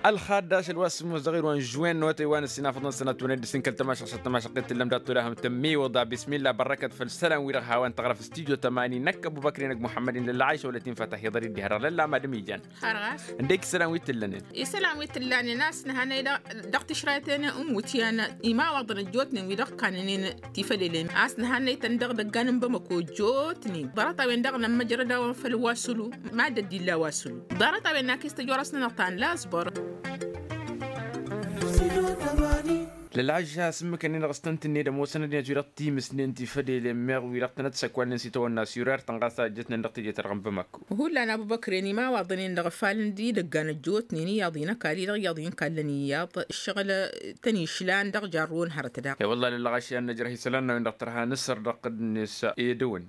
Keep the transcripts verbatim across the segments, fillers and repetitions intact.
ălxaddaš ălwa s-sǝmmos dăɣ-irwan žwen n-otay wa n-ăssinafăḍăn sănatwăned dăr-s n-kăl-tamašăɣ s-ăttămašăɣ-t tǝllăm dat-tolahăm tămmiwăḍa bismillah bărrăkăt făll-isălan-wi-dăɣ hawăn-tăɣrăf studio tămani năkk ăbubăkri năgg muḥămmăd-in lălla ašăwălăt-in fătahiḍăr-i dd-iha dăɣ-lălla madăm ijan. Har ɣas. Ǝndek isălan wi t-ǝllănen. Isălan wi t-ǝllanen a-s nǝhănăy dăɣ-tišrayten n-iwǝtyan imawaḍăn ăjjootnen wi-dăɣ kannănen tifălelem a-s nǝhănăy-tăn dăɣ-idăggan n-bamăko ăjjootnen ḍarăt-a-wen-dăɣ nămmăjrăd-awăn făll-wa sulu. Mad-ăddin la wa sulu. Ḍarăt-a-wen n-akis tăjorăs-nănăɣ ta n-lasbăr. Lălɣažža s-ǝmmǝkăn-in-dăɣ s-tăn-tǝnned ămoosăn ăddinăt wi-dăɣ timǝsnen tifădelen meɣ wi-dăɣ tănăt-săkwalnen s-itawănna s-yurar-tăn ɣas a ǝjjătnen dăɣ-teje-ta-dăɣ n-bamăkko. Hullan abubăkren imawaḍăn-in-dăɣ ăfalăn d-idăggan ăjjootnen iyyăḍ-i n-ăkall-i-dăɣ iyyăḍ-i n-kallăn iyyăḍ ǝššăɣǝl tăn-išlan dăɣ-jarro n-hărăt daɣ. I-wălla lălɣaš i-ad-năjrăh isălan n-a-wen-dăɣ tărha nǝsăr dăɣ-tădnes edăwăn.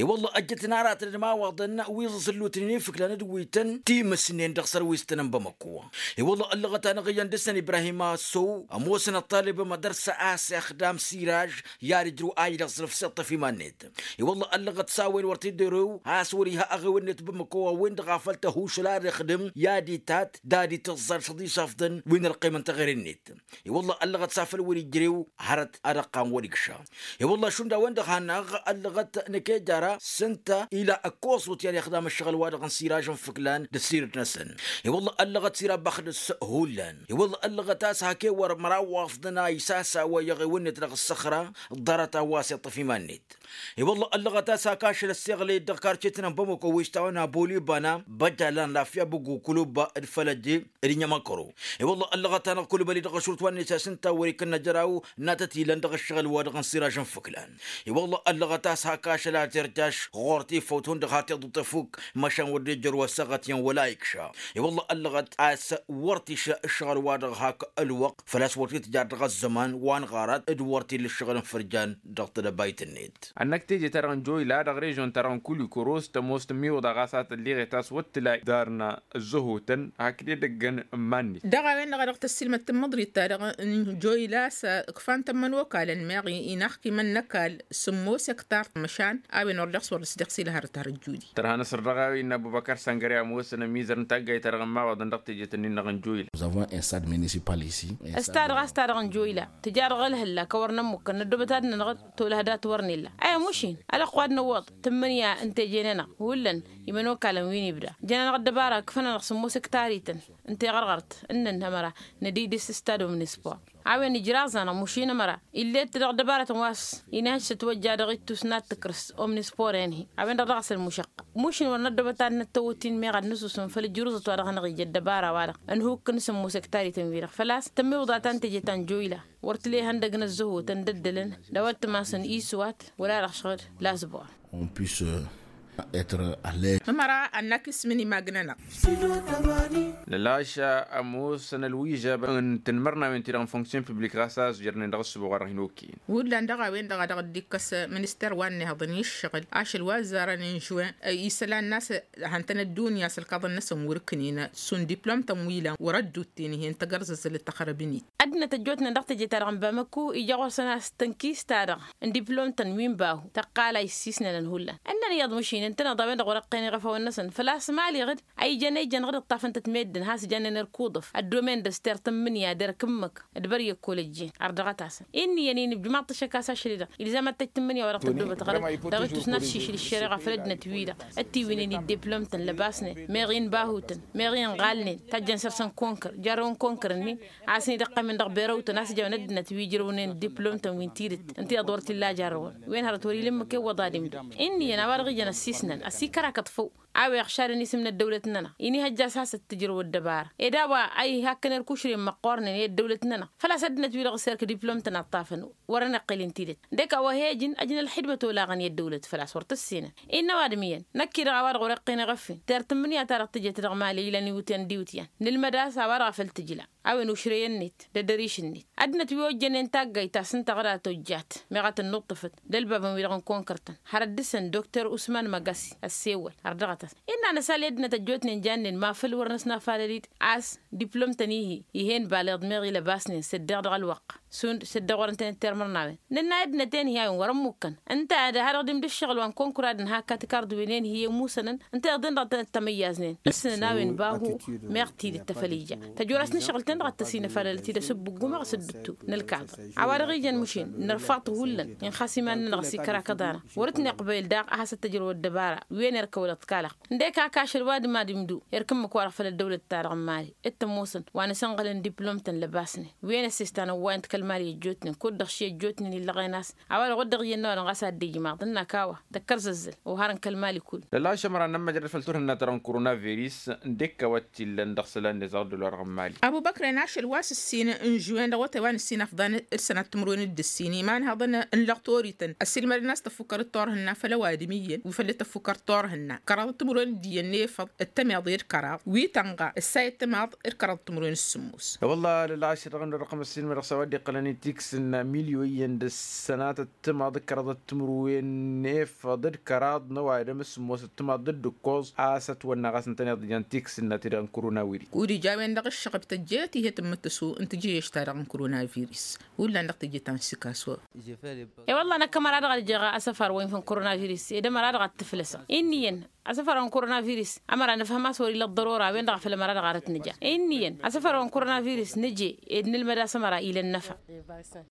I-wălla ăjjătăn aratăn d-imawaḍăn wi ẓǝẓǝllutnen ifǝklan d-wi tăn-timǝsnen dăɣ-sărwistăn n-bamăkko. I-wălla ăllăɣăt-anăɣ iyyăn dăr-săn ibrahim assow ămoosăn ăṭṭalăb mădăr-s a-s ixdam siraj i-ad-ǝjrǝw a idăẓrǝf s-iṭṭăf iman-net. I-wălla ăllăɣăt s-a-wen wăr t-dd-ărew a-s wăr-iha aɣew-net bamăkko a-wen-dăɣ a făl tăhušǝl ad-ixdǝm i-ad-itat d-ad-itǝẓẓal s-ad-išafḍăn wi n-ălqim n-teɣăre-net. I-wălla ăllăɣăt s-afăl wăr-ijrew hărăt ad-ăqqan wăr-ikša. I-wălla šund a-wen-dăɣ hanăɣ ăllăɣăt năkejara s-ǝnta ila ăkkoẓut i-ad-ixdam ǝššăɣǝl-wa-dăɣ n-siraj n-fǝklan d-ăssiirǝd-năsăn. I-wălla ăllăɣăt siraj băxdăs hullan. I-wălla ăllăɣăt a-s hak ewăr măraw wa ăfḍăn a isasawăy aɣew-net dăɣ-ǝssăxra ḍarăt a-wa s-iṭṭăf iman-net. I-wălla ăllăɣăt a-s hak ašăl ăssiɣlăy dăɣ-karcetăn n-bamăko wi s-tawăn abolibana băjalan lafya băggu kulubba d-fălăje d-inyămăkăro. I-wălla ăllăɣăt-anăɣ kulbăli dăɣ-ašrut wa n-isas ǝnta wăr-ikǝnnă jăraw n-ad-tăt-ilăn dăɣ-ǝššăɣǝl-wa-dăɣ n-siraj n-fǝklan. I-wălla ăllăɣăt a-s hak ašăl a terjaš ɣur-tifăwt hundăɣ hat iḍǝṭṭăf fukk măšan wăr dd-ijăr wa s-aɣăt iyyăn wăla ikša. I-wălla ăllăɣăt a-s wăr t-išră ǝššăɣǝl-wa-dăɣ hak ălwăqq făl-a-s wăr t-tǝjar dăɣ-ăzzăman wa n-ɣarat d-wăr t-illa ǝššăɣǝl n-fărjan dăɣ-tedăbayt-net. Ănnăk teje-ta-dăɣ n-joyla dăɣ-režion-ta-dăɣ n-kulikoro s-tămoos tămmiwǝḍa ɣas a tălliɣet a-s wăr t-tǝla darna ăzzăhotăn hakd edăggăn n-iman-net. Dăɣ-a-wen-dăɣ a dăɣ-tăssilmăd tǝmmăḍrit-ta-dăɣ n-joyla s-ǝkfan tămmăn okal ănmeɣ inaxkimăn n-ăkall sǝmmos ektar măšan a-wen wăr dăɣ-s wăr dăɣ-s ila hărăt har ăjjudi. Tărha năsăr dăɣ-a-wen n-abubăkar săngăre ămoosăn ămizăr n-taggayt-ta-dăɣ n-imawaḍăn dăɣ-tejet-ǝnnin-dăɣ n-joyla. Ăsta-dăɣ a-s ta-dăɣ n-joyla tǝja dăɣ-ălhǝlla kăwăr nămmukkăn năddobăt ad-nănăɣ tolăh dat-wăr n-illa. Aya mušin ălăqq wa d-năwwăḍ tǝmmǝnǝya n-teje-nănăɣ hullan imănokalăn wi n-ibda jăn-anăɣ ăddăbara ǝkfăn-anăɣ sǝmmos ǝktarităn n-teɣărɣărt ǝnnăn ămăra nădǝy dăr-s stad omnispor. A-wen ijraẓ-anăɣ mušin ămăra ill'-e-t dăɣ-ăddăbaratăn wa s-inhăj s-ătwăjja dăɣ-ittus n-ad-tǝkrǝs omnispor-en-hi. A-wen-dăɣ dăɣ-s ălmušăqqa mušin wăr năddobăt ad-năttăwăt-in meɣ ad-năsusǝm făll-ǝjrǝẓăt wa dăɣ-hanăɣ-ija ăddăbara-wa-dăɣ ănhukk n-sǝmmos ǝktarităn-wi-dăɣ făl-a-s tămmiwǝḍa ta n-teje ta n-joyla wăr t-lehăn dăgg-năzzăhotăn d-ăddălăn d-a-wa t-tǝmasăn iswat wăla-dăɣ šăɣ-dd lasbor. On puisse être à l'aise. Ămăra ănnăk ismǝn imagn-anăɣ. Lălaša ămoosăn ălwižab n-tanmărnawen-ti-dăɣ n-fonction publik ɣas a ăzjărnen dăɣ-ăssǝboɣ wa dăɣ-hin-okk. Hullan dăɣ-a-wen-dăɣ a dăɣ-dd-ikkăs minister wa n-inehăḍăn i-ǝššăɣǝl ašăl wa ăzzarăn n-žuwen isălan n-a-s hantăn ăddunya s-ălkaḍăn-năsăn wăr-ǝknǝyăn šund diplom-tăn wi ila wăr-ăddutten ih'-en tăgg-ărzăzzălăt tăxrăb-in-dd. Ăddinăt ăjjootnen dăɣ-teje-ta-dăɣ n-bamăkko ija ɣur-săn a-s tănkis-ta-dăɣ n-diplom-tăn wi n-bahu tăqqal a issisnănăn hullan ǝnnăn iyyăḍ mašin ǝntăneḍ a-wen-dăɣ wăr-iqqen iɣăfawăn-năsăn făl-a-s mali ɣǝd a ijăn ejăn ɣǝd ǝṭṭafăn-tăt meddǝn has-jannen erk uḍǝf ăddomen d-ăster tǝmmǝnǝya d-erk ǝmmǝk d-băryăkk olăjjen ardăɣăt-asăn. Inn'-iyyăn inǝbjǝm aṭṭăšăk a-s ašăl-i-dăɣ ilzam ad-t-ăj tǝmmǝnǝya wa dăɣ-tăddobăt ɣǝd dăɣ-ittus n-ad-šišǝl ǝššăreɣa făll-ăddinăt-wi-dăɣ ătiwǝynen dd-diplom-tăn lăbasnen meɣ inbahutăn meɣ inɣalnen tajjăn săr-săn konkăr jarrăwăn konkăr-nin a-s n-idăqqămen dăɣ-berăwtăn a-s ǝjawăn ăddinăt wi ǝjrăwnen diplom-tăn wi n-tidǝt ǝnta iyyăḍ wăr t-illa jarrăwăn wen hărăt wăr-ila ǝmmǝk i-wăḍa d-imdǝm. Inn'-iyyăn a-wa-dăɣ ijăn ăssiisnăn ăsikărakăt făw a-wa iɣšadăn isǝm n-ăddăwlăt-nănăɣ inihăjja a-s hasăt-tǝjrăw ăddăbara ed a-wa a ihakkăn erk ušren măqqoornen i-ăddăwlăt-nănăɣ făl-a-s ăddinăt-wi-dăɣ s-erk diplom-tăn ăṭṭafăn. Wăr-ănăqqil n-tidǝt dek a-wa he-ǝjǝn ăjǝn ălxidmăt olaɣăn i-ăddăwlăt făl-a-s wăr tǝssinăn. Innă ăwadǝm iyyăn năkk-i-dăɣ a-wa-dăɣ wăr-iqqen iɣăf-in ter tǝmmǝnǝya-ta-dăɣ tǝjet dăɣ-mali ilăn iwǝtyan d-iwǝtyan n-ǝlmăd a-s a-wa-dăɣ a făl tǝjla a-wen ušrey-net d-edăriš-net. Ăddinăt wi ojjănen taggayt ta s-ǝnta ɣǝd a tojjat meɣ a tăn-nuṭṭǝfăt d-ălbabăn-wi-dăɣ n-konkăr-tăn har ăddǝsăn dokter usman măgasi ăssewăl har dăɣ-a. s-tăs innă anăsal i-ăddinăt ăjjootnen jannen ma făl wăr năsnafalăl-dd a-s diplom-tăn-ihi. Ih'-en baleḍ meɣ ilăbasnen săddeɣ dăɣ-ălwăqq šund săddeɣ wăr ǝntănet termărnawen nǝnna i-ăddinăt-en-hi a-wen wăr-ămmukkăn. Ǝnta ad-ha-dăɣ dd-imdǝššăɣǝl wa n-kănkura d-ǝnhakka tikard-wen-en-hi i-ămusănăn ǝnta iḍen-dăɣ tăn-ăttămăyyaznen. Ǝssǝnăn a-wen bahu meɣ tidǝt tăfăl ija tăjorasnăšɣǝl-ten-dăɣ ad-tăsinăfalălăt-dd asǝbbǝggu meɣ s-ǝddǝttu n-ălkaḍăr. A-wa-dăɣ ijăn măšin nărfaḍ hullan inxas iman-nănăɣ s-ikărakăḍ-anăɣ wăr-ǝtnǝqbăyăl daɣ ad-has-ăttăjrăw ăddăbara wi n-erkăwălăt kalăɣ. Ǝndek a kašăl wa d-mad-imdu erk ǝmmǝk-wa-dăɣ făll-ăddăwlăt-ta-dăɣ n-mali d-tămoosăn wa n-asănɣălăn diplom-tăn lăbasnen wi n-ăssestan ăwwayăn-t kăl-mali ăjjootnen kud-dăɣ ši ăjjootnen illăɣen a-s. A-wa-dăɣ wăr dăɣ-iyyăn n-a-wa dăɣ-s ad-dd-ijmaḍ ǝnn'-ak a-wa tăkkăr zăzzăl. Ohar n-kăl-mali kull. Lăla ašămăra n-ămmăjrăd făll-turhǝnna-ta-dăɣ n-korona viris ǝndek a-wa t-illăn dăɣ-isălan n-ezăɣ dd-ălwa-dăɣ n-mali. Abubăkren ašăl wa s-ǝssin n-žuwen dăɣ-awătay wa n-ǝssin afḍan d-sănat timǝrwen d-ǝssin imanhăḍăn n-lăɣtorităn ăsilmădăn a-s tăffukkăr d-turhǝnna făll-ăwadǝm iyyăn wi făll-tăffukkăr d-turhǝnna kăraḍăt timǝrwen d-iyyăn n-efăḍ d-tămeḍe d-kăraḍ wi tănɣa ǝssa i-tămaḍ d-kăraḍăt timǝrwen s-sǝmmos. E-wălla lăla ašăl dăɣ-nărăqăm ăssilmădăɣ s-a-wa dd-iqqălăn i-tiksǝnna milyoyăn d-ăssanatăt timaḍ d-kăraḍăt timǝrwen n-efăḍ d-kăraḍ n-ăwadǝm s-sǝmmos d-timaḍ d-ǝkkoẓ a-s ătwănna ɣas ǝntăneḍ ijan tiksǝnna-ti-dăɣ n-korona wiri. Kud-ija a-wen-dăɣ ǝššăɣb tăjjăyăt ih'-e tǝmmǝttǝsu n-tijǝyyeš-ta-dăɣ n-korona viris. Hullan dăɣ-teje ta n-sikaso. E-wălla năkk ămăra dăɣ-ad-jeɣ asăfar wa infăn korona viris ed ămăra dăɣ-ad-t-ǝflăsăɣ. Inn'-iyyăn asăfar wa n-korona viris ămăra nǝfhăm a-s wăr-ila ăḍḍărora a-wen-dăɣ a făl ămăra dăɣ-arăt nǝja. Inn'-iyyăn asăfar wa n-korona viris nǝje ed nǝlmăd a-s ămăra ila ănnăfa.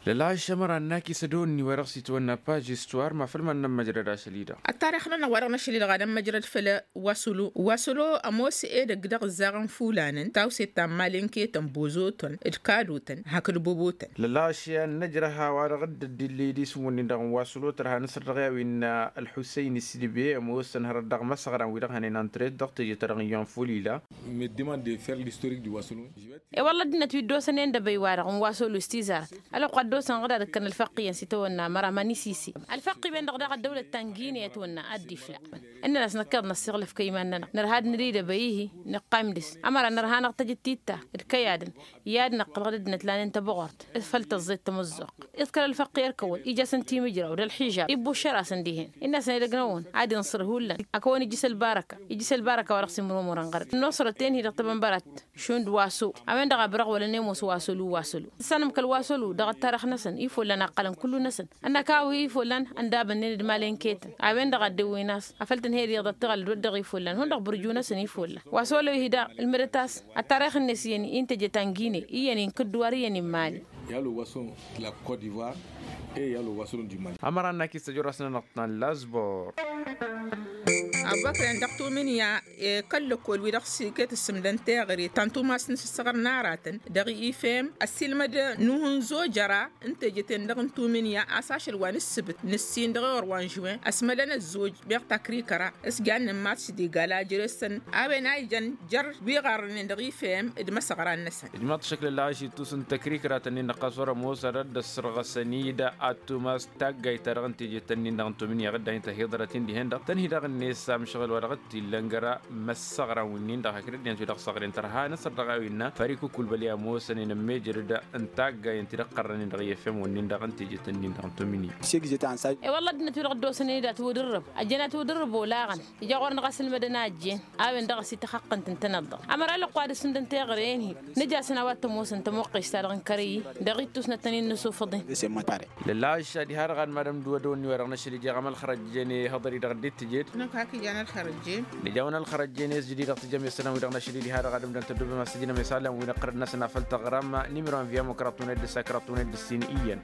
Lăla ašămăra ănnak-i s-ădonǝnni wa dăɣ-s itwănna paž istuwar ma făl mad-nămmăjrăd ašăl-i-dăɣ. Ăttarix-nănăɣ wa dăɣ-năšăl-i-dăɣ ad-ămmăjrăd făll-wasălo wasălo ămoos edăgg dăɣ-ǝzzaɣăn fulanăn tawset ta n-imalănketăn ănbozotăn d-kadotăn hakd bobotăn. Lăla ašăl i-ad-năjrăh a-wa-dăɣ dd-ăddillăy d-isǝm-wǝnnin-dăɣ n-wasălo tărha nǝsăr dăɣ-i a-wa innă ălḥussăyn s-idbe ămoosăn hărăt dăɣ-imăsăɣran wi-dăɣ hănen ăntret dăɣ-teje-ta-dăɣ n-iyyăn ful ila. Me demande de faire l'historique du wasălo. E-wălla ăddinăt wi dd-osăn i-ăndăbăy-wa-dăɣ n-wasălo s-tizarăt ălwăqq a dd-osăn ɣǝd ad-ǝkkăn ălfăqqiyăn s-itawănna ămăra mani sisi. Ălfăqqi-wen-dăɣ daɣ ăddăwlăt ta n-gine ătwănna ad-dd-ifla. Ǝnnăn-as năkk iḍnăssiɣlăf kăy-iman-nănăɣ nărha ad-nǝdidăbăy-ihi nǝqqaym dăr-s ămăra nărha-năɣ tăjǝt titta d-kăy-adǝm i-ad-năqqălăɣ d-ăddinăt lanen tăbăɣort făll-tăẓẓet tamǝzzuɣt. Iḍkăl ălfăqqi ărkăwăn ija-săn timǝjraw d-ălxižab ibbuššăr-asăn dihen. Innă-săn edăgg-năwăn ad-inṣăr hullan ad-kăwăn-ijjǝs ălbarăka ijjǝs ălbarăka wa dăɣ-s imrumurăn ɣăr-dd ănnuṣărăt-en-hi dăɣ-tebănbărat. Šund wasălo a-wen-dăɣ a bărăɣ wălăn i-ămoos wasălo wasălo. Tǝssanăm kăl-wasălo dăɣ-ăttarix-năsăn ifollan a ǝqqălăn kullu-năsăn. Ănnăk a-wa ifollan ăndabănnen d-imalănketăn a-wen-dăɣ a dd-ewwen a-s afăl tǝnhăyăd iyyăḍ ad-tǝɣăl d-wăr dăɣ-ifollan hundăɣ bǝrju-năsăn ifollan. Wasălo-hi daɣ ǝlmǝdăt a-s ăttarix-net iyyăn i n-teje ta n-gine iyyăn-in kǝdduwar iyyăn-in mali. I-a ălwasălo n-la kot divoir e i-a ălwasălo n-dimali. Ămăra ănnak-i s-tăjorăs-nănăɣ ta n-lazbor. Abubăkren dăɣ-tumǝnǝya kăl-lăkkol-wi-dăɣ s-iket ǝssǝmdăn teɣăre ta n-tumas n-isǝssăɣăr n-aratăn dăɣ-ifem ăssiilmăd nuhǝnzo jăra n-teje-ten-dăɣ n-tumǝnǝya a-s ašăl wa n-ǝssǝbǝt n-ǝssin dăɣ-ewăr wa n-žuwen ăsmălăn ăzzoj meɣ takrikăra s-jannen mars d-igal a jere-săn. A-wen a ijăn jer-wi ɣarrănen dăɣ-ifem d-imăsăɣran-năsăn. Ijmaḍ-t ašăkla ălɣaš ittus n-tăkrikra-tăn-in-dăɣ ɣas wăr-ămoos ad-ăssărɣăsăn-dd ăttumas taggayt-ta-dăɣ n-tejet-tăn-in-dăɣ n-tomǝnǝya ɣǝdda hin-tăhiḍărăt-in dihen-dăɣ tăn-hi-dăɣ-net amšăɣǝl wa dăɣ-t-illăn jăra imăssăɣran-win-dăɣ hakd ăddinăt wi-dăɣ săɣren tărha năsăr dăɣ-a-wen-nănăɣ făr ikǝkkulbăl i-ămoosăn-in ămmejăr-dd n-taggay ǝnta-i-dăɣ qărrăn-in dăɣ-i efem-win-dăɣ n-tejet-tăn-in-dăɣ n-tomǝnǝya. E-wălla ăddinăt wi-dăɣ dd-osăn-in-dd atwǝdǝrrǝb ăjjăn atwǝdǝrrǝb olaɣăn ija ɣur-năɣ asǝlmădăn a ăjjeen. A-wen-dăɣ a-s ităxăqqǝnt ǝntăneḍ-dăɣ ămăra ălwăqq wa dd-ǝssǝmdăn teɣăre-en-hi. Nǝj'-asăn a-wa t-ămoosăn tămoqqes-ta-dăɣ n-kărăy-i dăɣ-ittus n-ad-tăn-in-nǝsufăḍen. Lălaš ad-iha-dăɣ ad-madăm d-iwădon-i-wa-dăɣ n-ašăl ija ɣăm ălxărăjjen ihăḍăr-i-dăɣ dd-tǝjed. Năkk hak ijan ălxărăjjen. Nǝja-wăn ălxărăjjen i-s jădid dăɣ-tǝjăm i-isălan-wi-dăɣ n-ašăl-i diha-dăɣ ad-ǝmdăn tăddobem a-s tǝjnăm isălan-wi n-iqqărăn-năsăn afăl tăɣram n-imǝrwan vi-amokrat uned d-sakrat uned d-ǝssin iyyăn.